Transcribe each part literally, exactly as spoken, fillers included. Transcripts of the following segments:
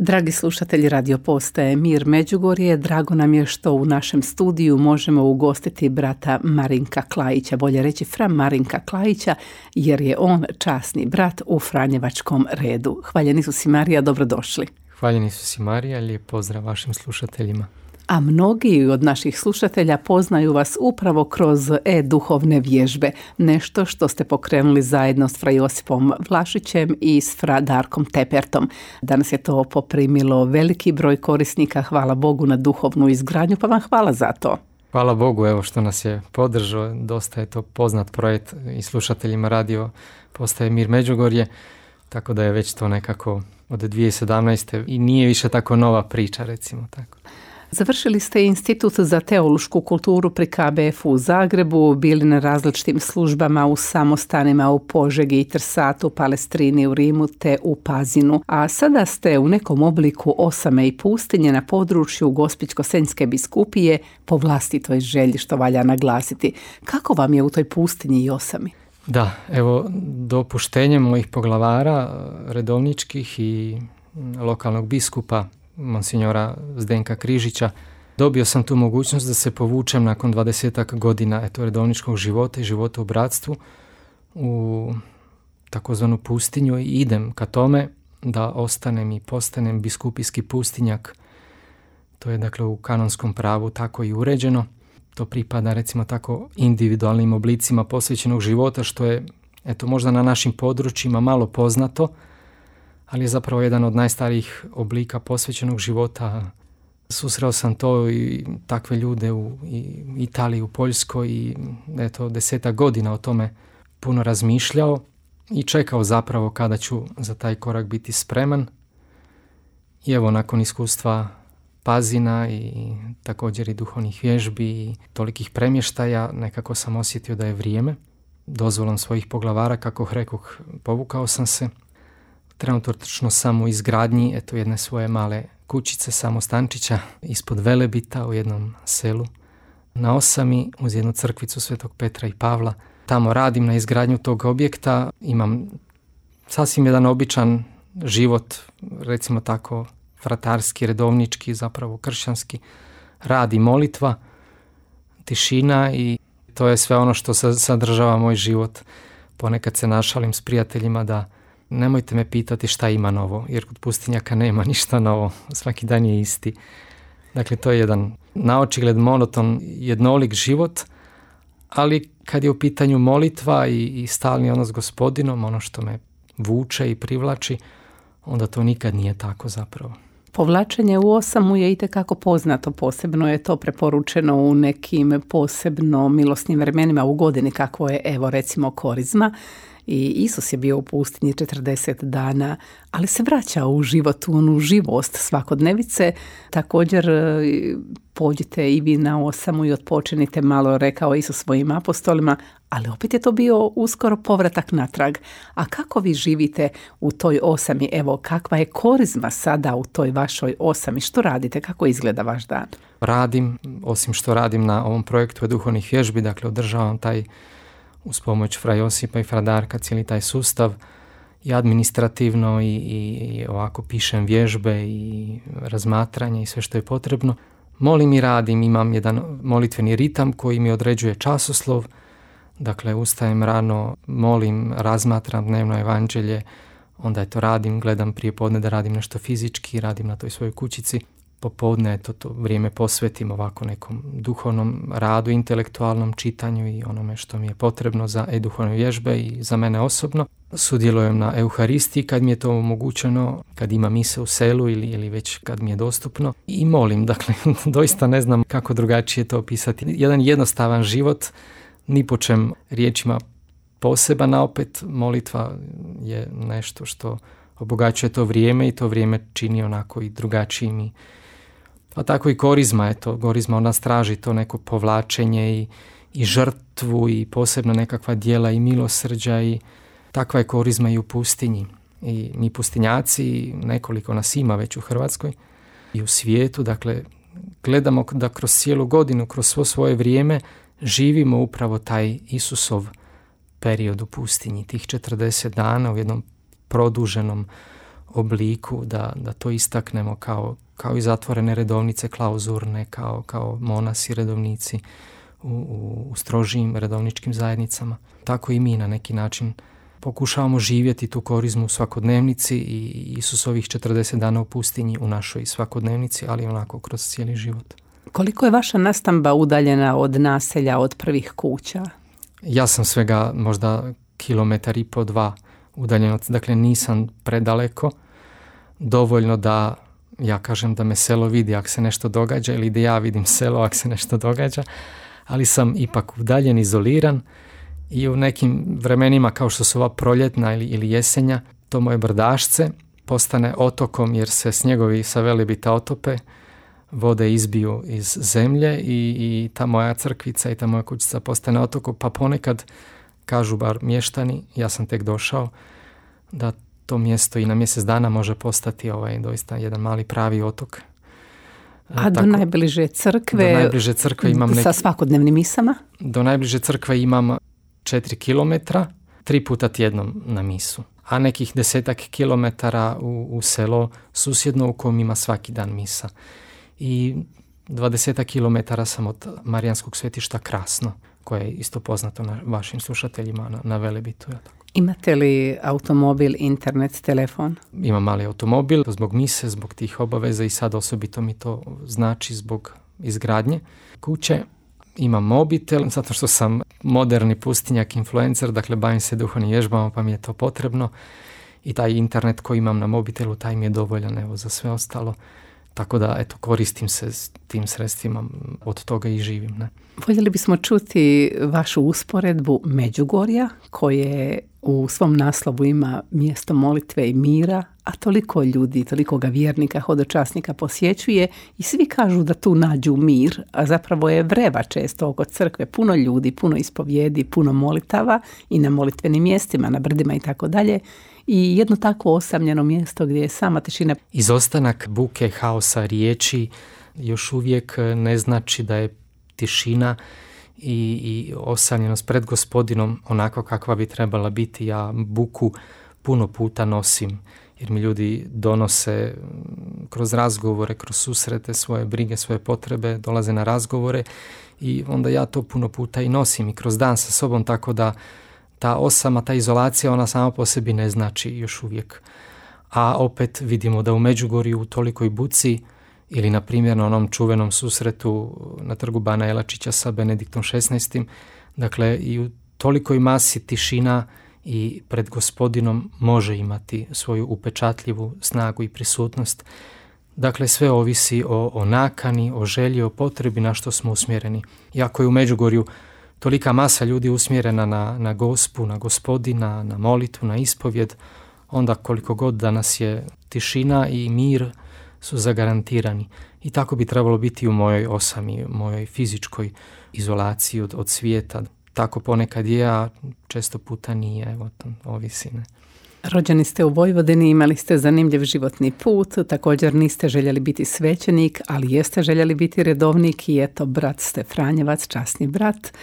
Dragi slušatelji radio postaje Mir Međugorje, drago nam je što u našem studiju možemo ugostiti brata Marinka Klajića, bolje reći fra Marinka Klajića, jer je on časni brat u Franjevačkom redu. Hvaljeni su si Marija, dobrodošli. Hvaljeni su si Marija, lijep pozdrav vašim slušateljima. A mnogi od naših slušatelja poznaju vas upravo kroz e-duhovne vježbe, nešto što ste pokrenuli zajedno s fra Josipom Vlašićem i s fra Darkom Tepertom. Danas je to poprimilo veliki broj korisnika, hvala Bogu na duhovnu izgradnju, pa vam hvala za to. Hvala Bogu, evo što nas je podržao, dosta je to poznat projekt i slušateljima radio postaje Mir Međugorje, tako da je već to nekako od dvije tisuće sedamnaeste i nije više tako nova priča, recimo tako. Završili ste Institut za teološku kulturu pri K B F u Zagrebu, bili na različitim službama u samostanima u Požegi i Trsatu, Palestrini u Rimu te u Pazinu, a sada ste u nekom obliku osame i pustinje na području Gospićko-senjske biskupije po vlastitoj želji, što valja naglasiti. Kako vam je u toj pustinji i osami? Da, evo, dopuštenjem mojih poglavara, redovničkih i lokalnog biskupa, monsignora Zdenka Križića, dobio sam tu mogućnost da se povučem nakon dvadesetak godina eto, redovničkog života i života u bratstvu u takozvanu pustinju i idem ka tome da ostanem i postanem biskupijski pustinjak. To je dakle u kanonskom pravu tako i uređeno. To pripada recimo tako individualnim oblicima posvećenog života, što je eto možda na našim područjima malo poznato, ali je zapravo jedan od najstarijih oblika posvećenog života. Susreo sam to i takve ljude u Italiji, u Poljskoj i eto desetak godina o tome puno razmišljao i čekao zapravo kada ću za taj korak biti spreman. I evo nakon iskustva Pazina i također i duhovnih vježbi i tolikih premještaja, nekako sam osjetio da je vrijeme. Dozvolom svojih poglavara, kako rekoh, povukao sam se. Trenutno sam u izgradnji eto, jedne svoje male kućice, samostančića, ispod Velebita u jednom selu na Osami uz jednu crkvicu Svetog Petra i Pavla. Tamo radim na izgradnju tog objekta, imam sasvim jedan običan život, recimo tako fratarski, redovnički, zapravo kršćanski, rad i molitva, tišina i to je sve ono što sadržava moj život. Ponekad se našalim s prijateljima da nemojte me pitati šta ima novo, jer kod pustinjaka nema ništa novo, svaki dan je isti. Dakle, to je jedan naočigled monoton, jednolik život, ali kad je u pitanju molitva i, i stalni odnos s Gospodinom, ono što me vuče i privlači, onda to nikad nije tako zapravo. Povlačenje u osamu je itekako poznato, posebno je to preporučeno u nekim posebno milosnim vremenima u godini, kakvo je evo recimo Korizma. I Isus je bio u pustinji četrdeset dana, ali se vraća u život, u onu živost svakodnevice. Također pođite i vi na osamu i odpočinite malo, rekao Isus svojim apostolima, ali opet je to bio uskoro povratak natrag. A kako vi živite u toj osami? Evo, kakva je Korizma sada u toj vašoj osami? Što radite? Kako izgleda vaš dan? Radim, osim što radim na ovom projektu duhovnih vježbi, dakle održavam taj uz pomoć fra Josipa i fra Darka cijeli taj sustav i administrativno i, i, i ovako pišem vježbe i razmatranje i sve što je potrebno. Molim i radim, imam jedan molitveni ritam koji mi određuje časoslov, dakle ustajem rano, molim, razmatram dnevno evanđelje, onda je to radim, gledam prije podne da radim nešto fizički, radim na toj svojoj kućici. Popodne to, to vrijeme posvetim ovako nekom duhovnom radu, intelektualnom čitanju i onome što mi je potrebno za e-duhovne vježbe i za mene osobno. Sudjelujem na Euharistiji kad mi je to omogućeno, kad ima mise u selu ili, ili već kad mi je dostupno. I molim, dakle, doista ne znam kako drugačije to opisati. Jedan jednostavan život, ni po čem riječima poseban, a opet molitva je nešto što obogaćuje to vrijeme i to vrijeme čini onako i drugačijim i pa tako i Korizma, eto, Korizma ona straži to neko povlačenje i, i žrtvu i posebno nekakva djela i milosrđa i takva je Korizma i u pustinji. I mi pustinjaci, nekoliko nas ima već u Hrvatskoj i u svijetu, dakle, gledamo da kroz cijelu godinu, kroz svo svoje vrijeme živimo upravo taj Isusov period u pustinji, tih četrdeset dana u jednom produženom obliku, da, da to istaknemo kao, kao i zatvorene redovnice, klauzurne, kao, kao monasi redovnici u, u, u strožijim redovničkim zajednicama. Tako i mi na neki način pokušavamo živjeti tu korizmu u svakodnevnici i Isusovih četrdeset dana u pustinji u našoj svakodnevnici, ali onako kroz cijeli život. Koliko je vaša nastamba udaljena od naselja, od prvih kuća? Ja sam svega možda kilometar i po dva udaljen, dakle nisam predaleko, dovoljno da ja kažem da me selo vidi ako se nešto događa ili da ja vidim selo ako se nešto događa, ali sam ipak udaljen, izoliran i u nekim vremenima kao što su ova proljetna ili, ili jesenja, to moje brdašce postane otokom jer se snjegovi sa Velebita otope, vode izbiju iz zemlje i, i ta moja crkvica i ta moja kućica postane otokom, pa ponekad kažu bar mještani, ja sam tek došao, da to mjesto i na mjesec dana može postati ovaj doista jedan mali pravi otok. A do Tako, najbliže crkve, do najbliže crkve imam neki, sa svakodnevnim misama? Do najbliže crkve imam četiri kilometra, tri puta tjednom na misu, a nekih desetak kilometara u, u selo susjedno u kojem ima svaki dan misa. I dvadesetak kilometara sam od Marijanskog svetišta Krasno, koje je isto poznato na vašim slušateljima na, na Velebitu. Imate li automobil, internet, telefon? Imam mali automobil zbog mise, zbog tih obaveza i sad osobito mi to znači zbog izgradnje kuće. Imam mobitel, zato što sam moderni pustinjak, influencer, dakle bavim se duhovnim vježbama pa mi je to potrebno. I taj internet koji imam na mobitelu, taj mi je dovoljan evo, za sve ostalo. Tako da, eto, koristim se s tim sredstvima, od toga i živim. Ne? Voljeli bismo čuti vašu usporedbu Međugorja, koje u svom naslovu ima mjesto molitve i mira, a toliko ljudi, toliko ga vjernika, hodočasnika posjećuje i svi kažu da tu nađu mir, a zapravo je vreva često oko crkve, puno ljudi, puno ispovjedi, puno molitava i na molitvenim mjestima, na brdima i tako dalje. I jedno takvo osamljeno mjesto gdje je sama tišina. Izostanak buke, haosa, riječi još uvijek ne znači da je tišina i, i osamljenost pred Gospodinom onako kakva bi trebala biti. Ja buku puno puta nosim jer mi ljudi donose kroz razgovore, kroz susrete svoje brige, svoje potrebe, dolaze na razgovore i onda ja to puno puta i nosim i kroz dan sa sobom, tako da ta osama, ta izolacija, ona sama po sebi ne znači još uvijek. A opet vidimo da u Međugorju u tolikoj buci ili na primjer na onom čuvenom susretu na trgu Bana Jelačića sa Benediktom šesnaestim, dakle i u tolikoj masi tišina i pred Gospodinom može imati svoju upečatljivu snagu i prisutnost. Dakle, sve ovisi o, o nakani, o želji, o potrebi na što smo usmjereni. Iako je u Međugorju tolika masa ljudi usmjerena na, na Gospu, na Gospodina, na molitvu, na ispovjed, onda koliko god da nas je tišina i mir su zagarantirani. I tako bi trebalo biti u mojoj osami, mojoj fizičkoj izolaciji od, od svijeta. Tako ponekad je, a često puta nije, evo, to ovisi, ne. Rođeni ste u Vojvodini, imali ste zanimljiv životni put, također niste željeli biti svećenik, ali jeste željeli biti redovnik i eto, brat ste Franjevac, časni brat.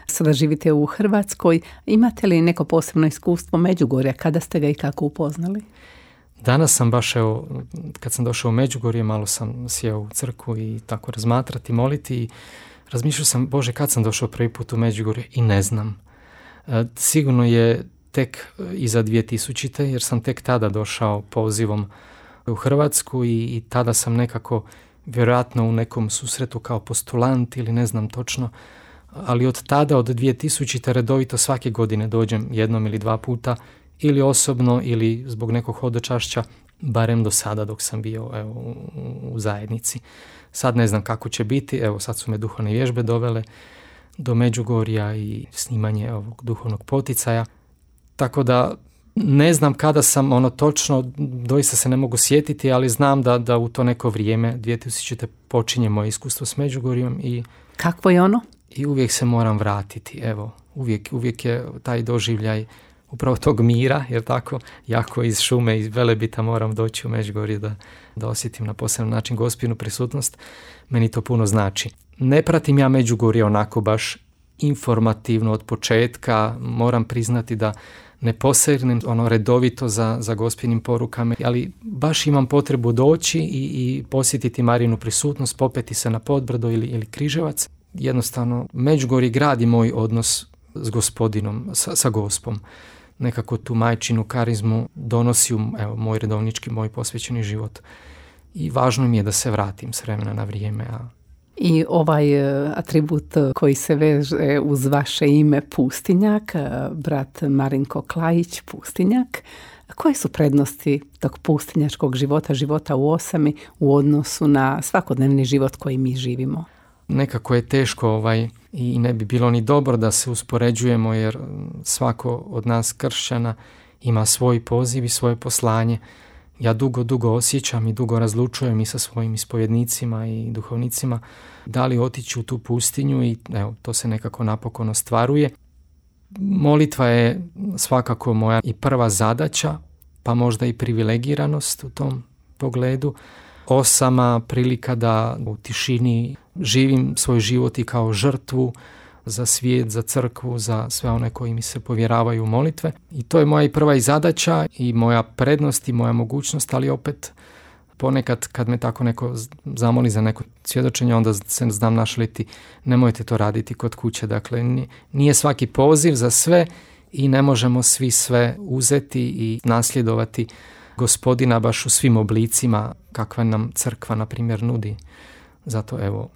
Sada živite u Hrvatskoj. Imate li neko posebno iskustvo Međugorja? Kada ste ga i kako upoznali? Danas sam baš, evo, kad sam došao u Međugorje, malo sam sjeo u crkvu i tako razmatrati, moliti i razmišljao sam, Bože, kad sam došao prvi put u Međugorje i ne znam. E, sigurno je tek iza dvije tisućite, jer sam tek tada došao pozivom u Hrvatsku i, i tada sam nekako, vjerojatno u nekom susretu kao postulant ili ne znam točno, ali od tada, od dvije tisućite redovito svake godine dođem jednom ili dva puta, ili osobno ili zbog nekog hodočašća, barem do sada dok sam bio evo, u, u zajednici. Sad ne znam kako će biti, evo sad su me duhovne vježbe dovele do Međugorja i snimanje ovog duhovnog poticaja. Tako da ne znam kada sam ono točno, doista se ne mogu sjetiti, ali znam da, da u to neko vrijeme, dvije tisućite počinje moje iskustvo s Međugorjem. I, kakvo je ono? I uvijek se moram vratiti, evo, uvijek, uvijek je taj doživljaj upravo tog mira, jer tako, jako iz šume, iz Velebita moram doći u Međugorje da, da osjetim na poseban način Gospinu prisutnost. Meni to puno znači. Ne pratim ja Međugorje onako baš informativno od početka, moram priznati da ne posegnem ono redovito za, za gospinim porukama, ali baš imam potrebu doći i, i posjetiti Marinu prisutnost, popeti se na Podbrdo ili, ili Križevac. Jednostavno, Međugorje gradi moj odnos s Gospodinom, sa, sa Gospom. Nekako tu majčinu karizmu donosi u evo, moj redovnički, moj posvećeni život. I važno mi je da se vratim s vremena na vrijeme. A... I ovaj atribut koji se veže uz vaše ime Pustinjak, brat Marinko Klajić, Pustinjak, koje su prednosti tog pustinjačkog života, života u osami u odnosu na svakodnevni život koji mi živimo? Nekako je teško ovaj, i ne bi bilo ni dobro da se uspoređujemo, jer svako od nas kršćana ima svoj poziv i svoje poslanje. Ja dugo, dugo osjećam i dugo razlučujem i sa svojim ispovjednicima i duhovnicima da li otići u tu pustinju i evo, to se nekako napokon ostvaruje. Molitva je svakako moja i prva zadaća, pa možda i privilegiranost u tom pogledu. Osama, prilika da u tišini živim svoj život i kao žrtvu za svijet, za crkvu, za sve one koji mi se povjeravaju u molitve. I to je moja i prva i zadaća i moja prednost i moja mogućnost, ali opet ponekad kad me tako neko zamoli za neko svjedočenje, onda se znam našaliti, nemojte to raditi kod kuće. Dakle, nije svaki poziv za sve i ne možemo svi sve uzeti i nasljedovati Gospodina baš u svim oblicima kakva nam crkva, na primjer, nudi. Zato evo,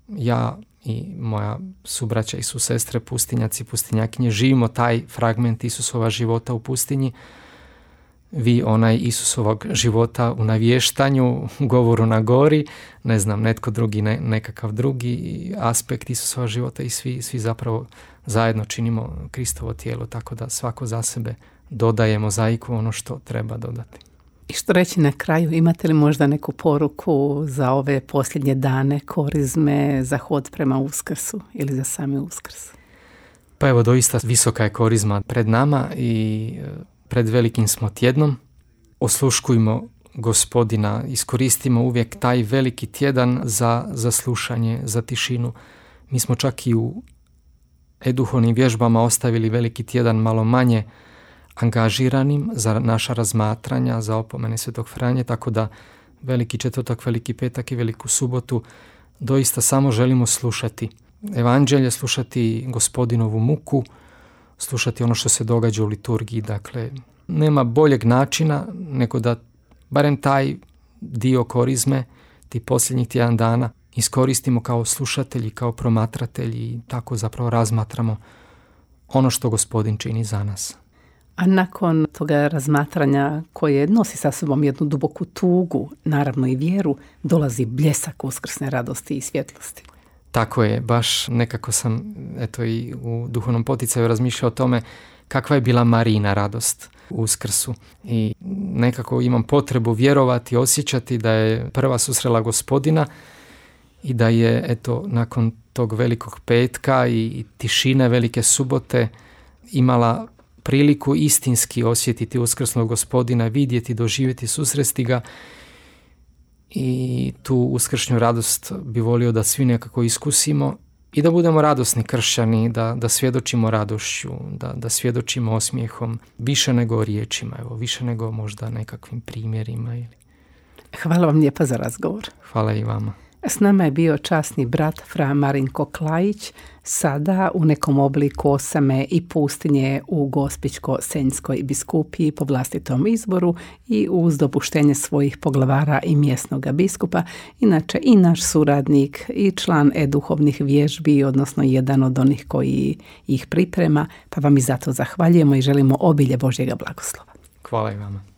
ja i moja subraća i susestre, pustinjaci, pustinjakinje, živimo taj fragment Isusova života u pustinji. Vi onaj Isusovog života u navještanju, u govoru na gori, ne znam, netko drugi, ne, nekakav drugi aspekt Isusova života i svi, svi zapravo zajedno činimo Kristovo tijelo, tako da svako za sebe dodaje mozaiku ono što treba dodati. I što reći na kraju, imate li možda neku poruku za ove posljednje dane korizme, za hod prema Uskrsu ili za sami Uskrs? Pa evo, doista visoka je korizma pred nama i pred velikim smo tjednom. Osluškujmo Gospodina, iskoristimo uvijek taj veliki tjedan za, za slušanje, za tišinu. Mi smo čak i u e-duhovnim vježbama ostavili veliki tjedan malo manje angažiranim za naša razmatranja, za opomene Svetog Franje, tako da veliki četvrtak, veliki petak i veliku subotu doista samo želimo slušati evanđelje, slušati Gospodinovu muku, slušati ono što se događa u liturgiji. Dakle, nema boljeg načina nego da barem taj dio korizme, ti posljednjih tjedan dana, iskoristimo kao slušatelji, kao promatratelji i tako zapravo razmatramo ono što Gospodin čini za nas. A nakon toga razmatranja koje nosi sa sobom jednu duboku tugu, naravno i vjeru, dolazi bljesak uskrsne radosti i svjetlosti. Tako je, baš nekako sam eto i u duhovnom poticaju razmišljao o tome kakva je bila Marina radost u Uskrsu. I nekako imam potrebu vjerovati, osjećati da je prva susrela Gospodina i da je eto nakon tog velikog petka i, i tišine velike subote imala priliku istinski osjetiti uskrsnog Gospodina, vidjeti, doživjeti, susresti ga i tu uskršnju radost bi volio da svi nekako iskusimo i da budemo radosni kršćani, da, da svjedočimo radošću, da, da svjedočimo osmijehom, više nego riječima, evo, više nego možda nekakvim primjerima. Ili... Hvala vam lijepa za razgovor. Hvala i vama. S nama je bio časni brat fra Marinko Klajić, sada u nekom obliku osame i pustinje u Gospićko-senjskoj biskupiji po vlastitom izboru i uz dopuštenje svojih poglavara i mjesnog biskupa, inače i naš suradnik i član e-duhovnih vježbi, odnosno jedan od onih koji ih priprema, pa vam i zato zahvaljujemo i želimo obilje Božjega blagoslova. Hvala i vama.